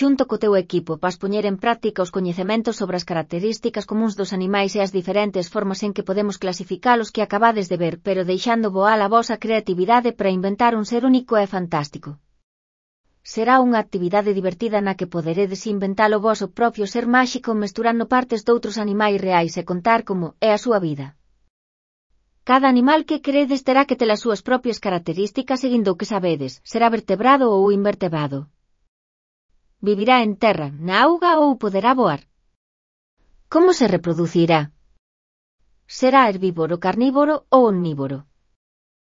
xunto co teu equipo, vas poñer en práctica os coñecementos sobre as características comúns dos animais e as diferentes formas en que podemos clasificalos que acabades de ver, pero deixando voar a vosa creatividade para inventar un ser único e fantástico. Será unha actividade divertida na que poderedes inventar o voso propio ser máxico mesturando partes doutros animais reais e contar como é a súa vida. Cada animal que queredes terá que ter as súas propias características seguindo o que sabedes, será vertebrado ou invertebrado. Vivirá en terra, na auga ou poderá voar. Como se reproducirá? Será herbívoro, carnívoro ou omnívoro?